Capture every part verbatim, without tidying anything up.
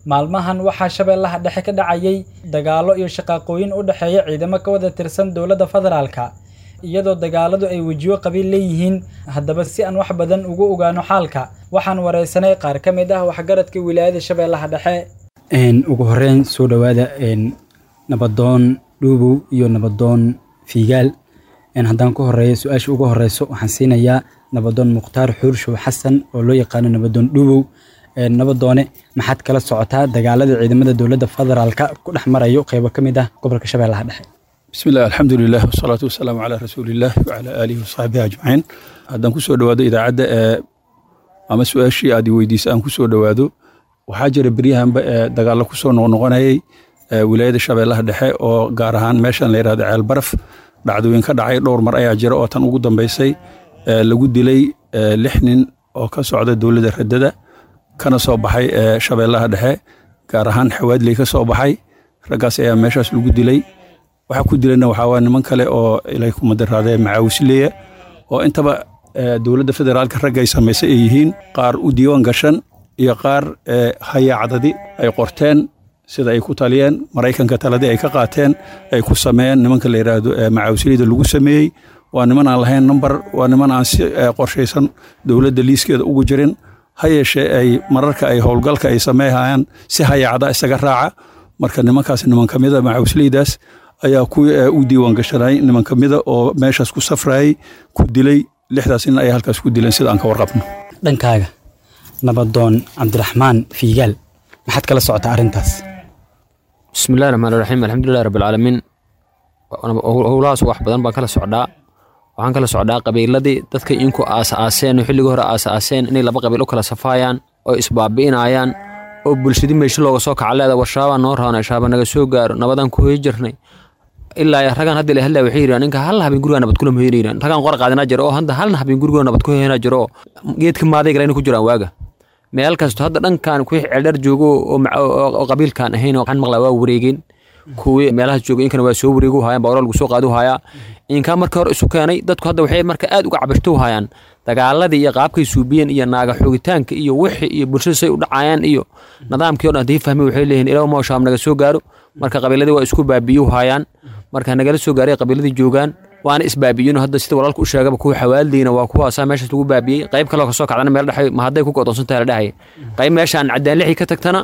Maalmahan waxaa Shabeellaha Dhexe ka dhacayay dagaallo iyo shaqaaqooyin u dhexeeya ciidamo ka wada tirsan dowladda federaalka, iyadoo dagaaladu ay wejiyo qabiil leeyihiin. Haddaba si aan wax badan ugu ogaano xaalka, waxaan wareysanay qaar ka mid ah waxgaradka wilaayada Shabeellaha Dhexe. Ugu horreyn soo dhowaada Nabadoon Dhuubow iyo Nabadoon Fiigaal. Haddaan ku horeeyo su-aasha ugu horeyso, waxaan siinayaa Nabadoon Mukhtaar Xuurshow Xasan oo loo yaqaano Nabadoon Dhuubow. Nabadoone, maxaad kala socotaa dagaalada ciidamada dowladda federaalka ku dhex marayo qeybo ka mid ah gobolka Shabeellaha Dhexe? بسم الله، الحمد لله، والصلاة والسلام على رسول الله وعلى آله وصحبه أجمعين. Haddaan kusoo dhawaado idaacadda ee ama su-aashii aad i weydiisay aan kusoo dhawaado, waxaa jira beryahanba ee dagaallo kusoo noqnoqonayay wilaayada Shabeellaha Dhexe, oo gaar ahaan meeshan la yidhahdo Ceel Baraf. Dhacdooyin ka dhacay dhowr mar ayaa jira, oo tan ugu dambaysay lagu dilay lix nin oo ka socda dowladda radada, kana soo baxay Shabeellaha Dhexe, gaar ahaan Xawaadley ka soo baxay. Raggaas ayaa meeshaas lagu dilay. Waxaa ku dilayna waxaa waa niman kale oo ilay kuma daraadee macaawisleeya, oo intaba dowladda federaalka ragga ay samaysay ay yihiin, qaar u diiwaan gashan iyo qaar hayaacdadi ay qorteen sida ay ku taliyeen Maraykanka, taladii ay ka qaateen ay ku sameeyeen. Nimanka la yidhaahdo macaawisleyda lagu sameeyey waa niman aan lahayn number, waa niman aan si qorshaysan dowladda liiskeeda ugu jirin, ha yeeshee ay mararka ay howlgalka ay sameeyhayaan si hayaacda isaga raaca. Marka nimankaas, niman ka mida macaawisleydaas ayaa ku u diiwaan gashanay, niman ka mida oo meeshaas ku safrayay ku dilay. Lixdaas nin ayaa halkaas ku dileen sida aan ka warqabno. Dhankaaga, Nabadoon Cabdiraxmaan Fiigaal, maxaad kala socotaa arrintaas? Bismi illahi raxmaan raxiim, alxamdulilahi rabbi alcaalamiin. Howlahaas wax badan baan kala socdaa. Waxaan kala socdaa qabiiladii dadka inku aas-aaseen oo xilligii hore aas-aaseen inay laba qabiil u kala safaayaan oo isbaabi'inayaan, oo bulshadii meesho looga soo kaca leeda warshaabaa noo raana shaaba naga soo gaaro nabadaan ku hoyi jirnay. Ilaa ragaan hadda la hadlaya waxay yidhahan ninka hal habeen gurigaa nabad kula hoyanayaan. Ragaan qor qaadanaa jiro oo hadda halna habeen gurigoo nabad ku hoyanaa jiro oo geedka maaday galayna ku jiraan waaga. Meel kasto hadda dhankan kuwii ceeldheer joogo oo qabiilkan ahayn waxaan maqlaa waa wareegeen. Kuwii meelahaas joogay inkana waa soo wareegu haayaan, bawra lagu soo qaadu hayaa. Inkaa marka hore isu keenay dadku hadda waxay marka aad uga cabashto hayaan dagaaladii iyo qaabkay suubiyeen iyo naaga xoogitaanka iyo wixii iyo bulshada say u dhacayaan iyo nidaamkii o dhan. Haddii fahmay waxay leeyihiin ilaa moo shaam naga soo gaaro. Marka qabiiladii waa isku baabi'iyu haayaan, marka nagala soo gaaray qabiiladii joogaan waana isbaabi'iyeen. Hadda sida walaalka u sheegaba, kuwa Xawaaldiina waa kuwaasaa meeshaas lagu baabiyey. Qayb kaloo kasoo kacdana meel dhexay ma hadday ku go'doonsan tahay la dhahay. Qayb meeshaan Cadaan Lixii ka tagtana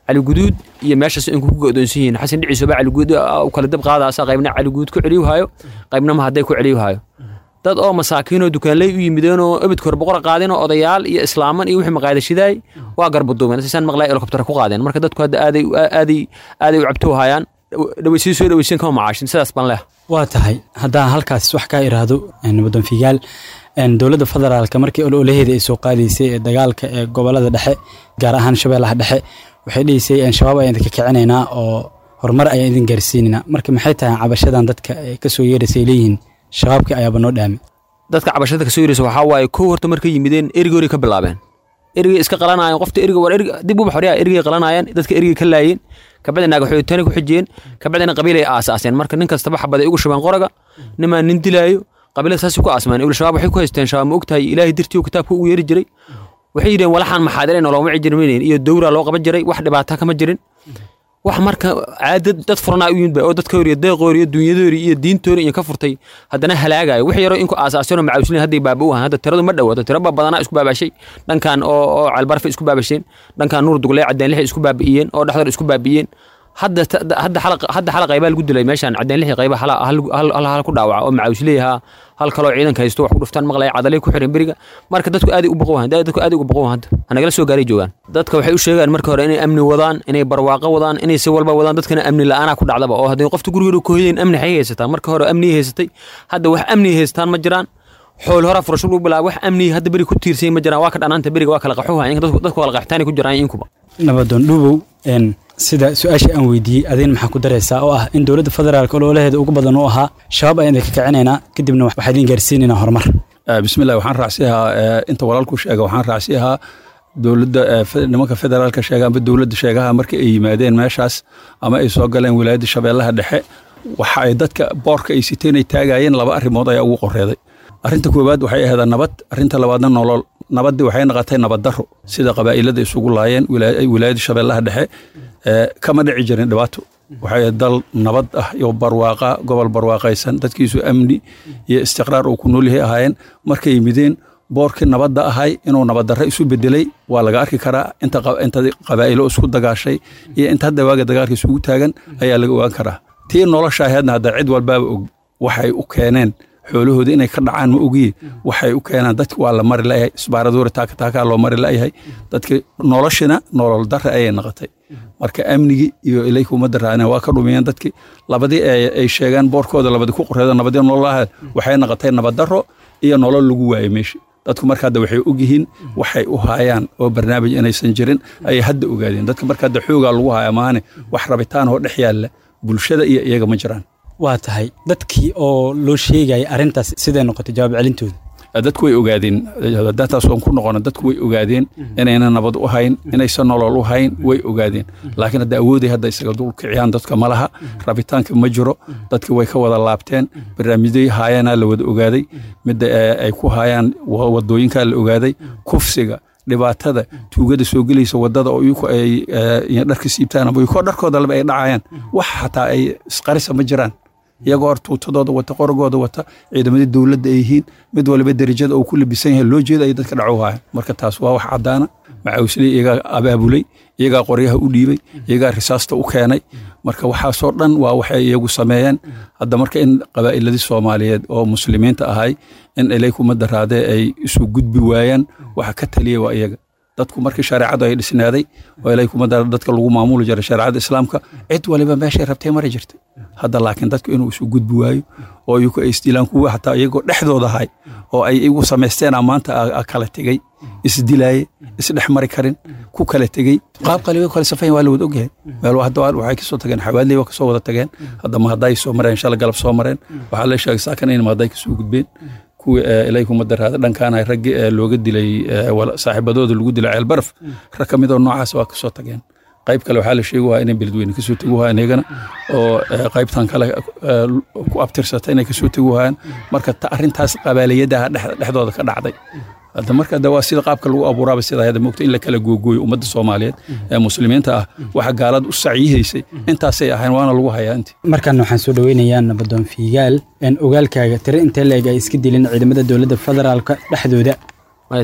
Caliguduud iyo meeshaas inku ku go'doonsan yihiin. Xasan Dhiciisoba Caliguud u kala dab qaadaasa, qaybna Caliguud ku celiyu haayo, qaybna ma hadday ku celiyu haayo. Dad oo masaakiinoo dukaanley u yimideen oo ebidka hore boqora qaadeen oo odayaal iyo islaaman iyo wixii maqaayada shidaay waa garbaduubeen, sisaan maqlay helicopter ku qaadeen. Marka dadku hadda aaday aaday aaday u cabto hayaan, dhaweysiin soo dhaweysiin kama macaashin, sidaas baan leh. Waa tahay. Haddaan halkaas wax kaa iraahdo, Nabadoon Fiigaal, dowladda federaalka markii ololaheeda ay soo qaadaysay ee dagaalka ee gobolada dhexe, gaar ahaan Shabeellaha Dhexe, waxay dhihisay Shabaab ayaan idinka kicinaynaa oo horumar ayaan idin gaarsiinaynaa. Marka maxay tahay cabashadan dadka ay kasoo yeeraysay leeyihiin shabaabkii ayaaba noo dhaamay? Dadka cabashada kasoo yeeraysa waxaa waaye, kow horta markay yimideen erigoori ka bilaabeen, erigay iska qalanaayeen. Qofta eriga war eriga dib u baxoriya, erigay qalanaayeen, dadka erigay ka laayeen, kabacdi naaga xooyitaani ku xijiyeen, kabacdina qabiilay aasaaseen. Marka nin kastaba xabaday ugu shubeen qoraga, nimaa nin dilaayo, qabiilada saasay ku aasmeen. Ibl shabaab waxay ku haysteen shabaab, ma ogtahay, Ilaahay dirtii kitaabka ugu yeeri jiray. Waxay yidheen walaxaan maxaadireen oo looma jirmaynin iyo dowra loo qaban jiray, wax dhibaata kama jirin. Wax marka caadad dad furanaa u yimid ba oo dadka horiyo deeqoori iyo dunyadoori iyo diintoori iyo ka furtay, haddana halaagayo wix yaro inku aasaaseen oo macaawsliin hadday baaba u ahaan. Hadda tiradu ma dhowato, tiro ba badanaa isku baabashay dhankan oo oo Ceelbarfe isku baabasheen, dhankan Nuur Dugley Cadeen Lixi isku baabi'iyeen oo dhexdooda isku baabi'iyeen. Hadda hadda xalaq hadda xalaq qaybaa lagu dilay meeshaan Cadeen Lixi, qayba hal hal hal hal ku dhaawaca oo macaawsleeyaha, hal kaloo ciidanka haysto wax ku dhuftaan maqlaya, cadalay ku xiran beriga. Marka dadku aad u boqo wahan, dadku aad ugu boqo wahan, hanagala soo gaaray joogaan. Dadka waxay u sheegaan marka hore inay amni wadaan, inay barwaaqo wadaan, inay si walba wadaan. Dadkana amni la'aana ku dhacdaba, oo haddii qofta gurigeeda ku hoyeen amni xay haysataa. Marka hore amni haysatay, hadda wax amni haystaan ma jiraan. Xool hore furasho lagu bilaabo, wax amni hadda beri ku tiirsan ma jiraan. Waa ka dhanaanta beriga, waa kala qaxuha, dadku dadku kala qaxitaani ku jiraan inkuba. Nabadoon Dhuubow, sida su-aasha aan weydiiyey adin maxaa ku daraysaa, oo ah in dowladda federaalka ololaheeda ugu badan u ahaa shabaab ayaan idinka kicinaynaa, kadibna waxaa idin gaarsiinaynaa horumar? Bismillah, waxaan raacsiyahaa inta walaalku sheega. Waxaan raacsiyahaa dowladda nimanka federaalka sheega amba dowladda sheegaha, marka ay yimaadeen meeshaas ama ay soo galeen wilaayadda Shabeellaha Dhexe, waxa ay dadka boorka ay siteen ay taagayeen laba arrimood ayaa ugu qoreeday. Arrinta koowaad waxay ahayd nabad, arrinta labaadna nolol. Nabaddii waxay noqotay nabad darro, sida qabaa'ilada isugu laayeen wilaayada Shabeellaha Dhexe kama dhici jirin dhibaato. Waxay dal nabad ah iyo barwaaqa, gobol barwaaqaysan, dadkiisu amni iyo istiqraar uu ku nool yahay ahaayeen. Markay yimideen boorkii nabadda ahay inuu nabaddarro isu bedelay waa laga arki karaa. Inta inta qabaa'ilo isku dagaashay iyo inta hadda waaga dagaalka isugu taagan ayaa laga ogaan karaa. Tii nolosha ahaydna hadda cid walbaaba og waxay u keeneen xoolahooda inay ka dhacaan ma ogiye, waxay u keenaan dadki waa la mari la'yahay, isbaaradoori taaka taakaa loo mari la'yahay. Dadki noloshina nolol darre ayay noqotay. Marka amnigii iyo ilayka ummadda raacina waa ka dhumiyeen dadki. Labadii ay sheegaan boorkooda labadii ku qoreeda nabadii nololaha waxay noqotay nabad darro iyo nolol lagu waayay meesha. Dadku marka hadda waxay ogyihiin waxay u haayaan oo barnaamij inaysan jirin ayay hadda ogaadeen. Dadka marka hadda xoogaa lagu haya maahane wax rabitaan oo dhex yaalla bulshada iyo iyaga ma jiraan. Waa tahay, dadkii oo loo sheegaya arrintaas sidee noqotay jawaab celintooda? Dadku way ogaadeen, taas oon ku noqono, dadku way ogaadeen inayna nabad u hayn, inaysan nolol u hayn way ogaadeen. Laakiin hadda awooday hadda isaga dul kiciyaan dadka ma laha, rabitaanka ma jiro, dadki way ka wada laabteen. Barnaamijyadii haayaanaa la wada ogaaday, midda ay ku haayaan wadooyinkaa la ogaaday, kufsiga, dhibaatada, tuugada soo gelaysa wadada oo iyagu ay dharka siibtaan ama iyagoo dharkooda laba ay dhacayaan, wax xataa ay isqarisa ma jiraan. Iyagoo hor tuutadooda wata, qorogooda wata, ciidamadii dowladda ay yihiin, mid waliba derajada uu ku labisan yahay loo jeeda ay dadka dhaco haaya. Marka taas waa wax caddaana. Macawisley iyagaa abaabulay, iyagaa qoryaha u dhiibay, iyagaa risaasta u keenay. Marka waxaasoo dhan waa waxay iyagu sameeyeen. Hadda marka in qabaa'iladii Soomaaliyeed oo muslimiinta ahay in ilayku madaraadee ay isu gudbi waayaan waxa ka taliyay waa iyaga. Dadku markii shareecadu ay dhisnaaday oo ilayku madara dadka lagu maamuli jiray shareecada islaamka, cid waliba meeshay rabtay mari jirtay. Hadda laakiin dadku inuu isu gudbi waayo oo iyagu ay isdilaan, kuwa xataa iyagoo dhexdooda ahay oo ay igu samaysteen maanta kala tegey, isdilaaye, isdhex mari karin, ku kala tegey, qaab qaliba kala safayn waa la wada ogyahay. Meel hadda waxay kasoo tageen Xawaadley, waa kasoo wada tageen. Hadda mahadday soo mareen, shala galab soo mareen. Waxaa la sheegay saakan in mahadday kasoo gudbeen kuwii ilayku madaraada dhankaan raggi looga dilay saaxiibadooda lagu dilay Ceel Baraf, rag ka mid oo noocaas waa kasoo tageen. Qayb kale waxaa la sheegi waa inay Beledweyne kasoo tegi waayaan iyagana oo qaybtan kale ku abtirsata inay kasoo tegi waayaan. Marka arrintaas qabaaliyadaha dhexdooda ka dhacday hadda marka hadda waa sida qaabka lagu abuuraaba sida hadda moogta in la kala googooyo ummadda Soomaaliyeed ee muslimiinta ah. Waxa gaalada u sacyihaysay intaasay ahayn, waana lagu hayaa intii. Markan waxaan soo dhaweynayaa Nabadoon Fiigaal. Ogaalkaaga tiro intee leeg ay iska dilin ciidamada dowladda federaalka dhexdooda?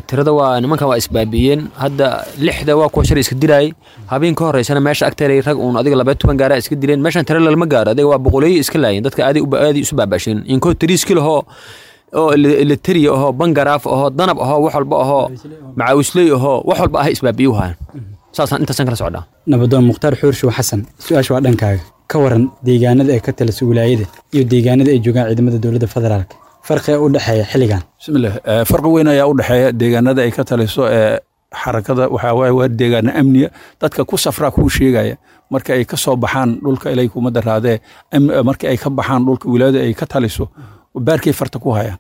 Tirada waa nimankan waa isbaabi'iyeen hadda. Lixda waa kuwa shalay iska dilaayay, habeen ka horeysana meesha agteeday rag uun adiga labaya toban gaara iska dileen. Meeshan tiro lalama gaaro, adiga waa boqoleeyo iska laayeen dadka, aaday aaday isu baaba'sheen. Inkoo tiriiski lahoo oo elitariya ahoo, bangaraaf ahoo, danab ahoo, wax walba ahoo, macaawisley ahoo, wax walba ah isbaabi'iyu hayan. Saasaan intaasaan kala socdaa. Nabadoon Mukhtaar Xuurshow Xasan, su-aasha waa dhankaaga. Ka waran deegaanada ay ka taliso wilaayada iyo deegaanada ay joogaan ciidamada dowladda federaalka, farqiga u dhexeeya xilligan? Bismillah, farqi weyn ayaa u dhexeeya deegaanada ay ka taliso ee xarakada. Waxaa waaye waa deegaano amniya. Dadka ku safraa kuu sheegaya marka ay ka soo baxaan dhulka ilayku madaraadee, marka ay ka baxaan dhulka wilaayada ay ka taliso, baarkay farta ku hayaan,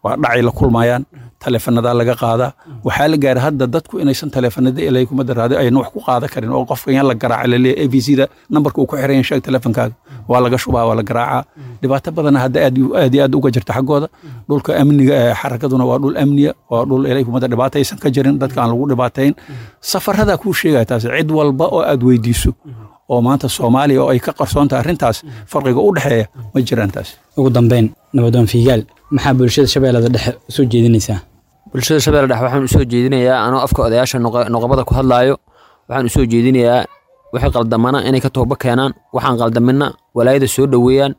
waa dhacay la kulmayaan, taleefanadaa laga qaadaa. Waxaa la gaaray hadda dadku inaysan taleefanada ilayku madaraade ayna wax ku qaadan karin oo qofka yaan la garaaca laleeyahay A B C da nambarka uu ku xiran yahay sheeg taleefankaaga, waa laga shubaa, waa la garaacaa. Dhibaato badana hadda aad aad iyo aad uga jirta xaggooda. Dhulka amniga ee xarakaduna waa dhul amniya, waa dhul ilayku madar dhibaato aysan ka jirin, dadka aan lagu dhibaatayn. Safarada kuu sheegaya taas cid walba oo aad weydiiso oo maanta Soomaaliya oo ay ka qarsoon tahay arrintaas, farqiga u dhexeeya ma jiraan taas. Ugu dambeyn, Nabadoon Fiigaal, maxaa bulshada Shabeellada Dhexe usoo jeedinaysaa? Bulshada Shabeelle Dhexe waxaan usoo jeedinayaa, anoo afka odayaasha noqobada ku hadlaayo, waxaan usoo jeedinayaa wixii qaldamana inay ka tooba keenaan, waxaan qaldamina walaayada soo dhoweeyaan.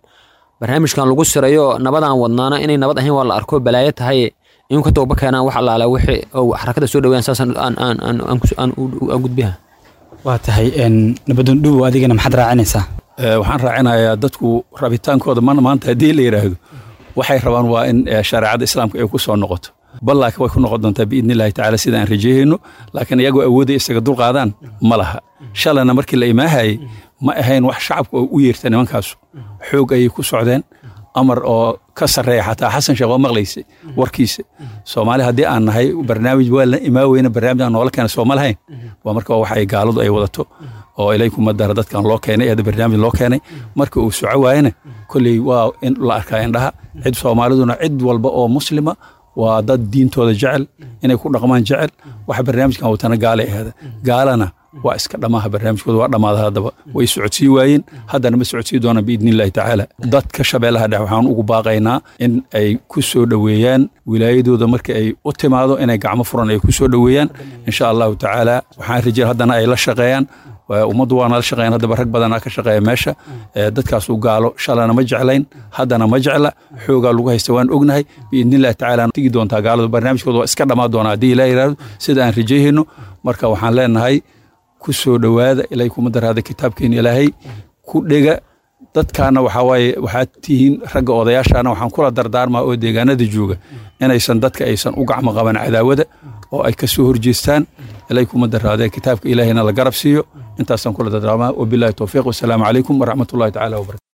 Barnaamijkan lagu sirayo nabadaan wadnaana inay nabad ahayn waa la arko, balaayo tahay, inuu ka tooba keenaan wax allaala wixii oo xarakada soo dhoweeyaan. Saasaan aan aan aan aan aan gudbiha. Waa tahay, Nabadoon Dhuubow, adigana maxaad raacinaysaa? Waxaan raacinayaa dadku rabitaankooda mana maanta haddii la yidhaahdo waxay rabaan waa in shareecada islaamka ay ku soo noqoto, bal laakiin way ku noqon doontaa biidni illaahi tacaala sida aan rajayhayno. Laakiin iyagoo awoodaya isaga dul qaadaan ma laha. Shalana markii la imaahayay ma ahayn wax shacabku oo u yeerta, nimankaasu xoog ayay ku socdeen, amar oo ka sarreeya xataa Xasan Sheekh oo maqlaysay warkiisa. Soomaali haddii aan nahay barnaamij waa la imaa weyne, barnaamij aan noola keena sooma lahayn. Waa marka waxa ay gaaladu ay wadato oo ilayku madara dadkan loo keenay ee barnaamij loo keenay. Marka uu soco waayena kolley waa in la arkaa indhaha cid Soomaaliduna, cid walba oo muslima Waa dad diintooda jecel, inay ku dhaqmaan jecel. Waxa barnaamijkan watana gaalay ahaada, gaalana waa iska dhamaaha barnaamijkooda, waa dhammaada. Haddaba way socodsii waayeen, haddana ma socodsii doonaan biidni illaahi tacaala. Dadka Shabeellaha Dhexe waxaan ugu baaqaynaa in ay ku soo dhoweeyaan wilaayadooda marka ay u timaado, inay gacmo furan ay ku soo dhoweeyaan insha Allahu tacaala. Waxaan rajay haddana ay la shaqeeyaan ummaddu, waana la shaqeeyaan haddaba, rag badanaa ka shaqeeya meesha. Dadkaasu gaalo shalana ma jeclayn, haddana ma jecla, xoogaa lagu haysta waan ognahay. Biidni illahi tacaala tigi doontaa gaaladu, barnaamijkooda waa iska dhammaan doonaa haddii Ilaah yidhaahdo, sida aan rajayhayno. Marka waxaan leenahay ku soo dhowaada, Ilaahay kuma daraada kitaabkeena Ilaahay ku dhega. Dadkaana waxaa waaye waxaad tihiin ragga odayaashaana, waxaan kula dardaarmaa oo deegaanada jooga inaysan dadka aysan u gacmo qaban cadaawada oo ay ka soo horjeestaan, Ilaahay kuma daraadee kitaabka Ilaahayna la garab siiyo. Intaasaan kula dardaarmaa, wabillahi towfiiq, wasalaamu calaykum waraxmatullahi tacaala wabarakatu.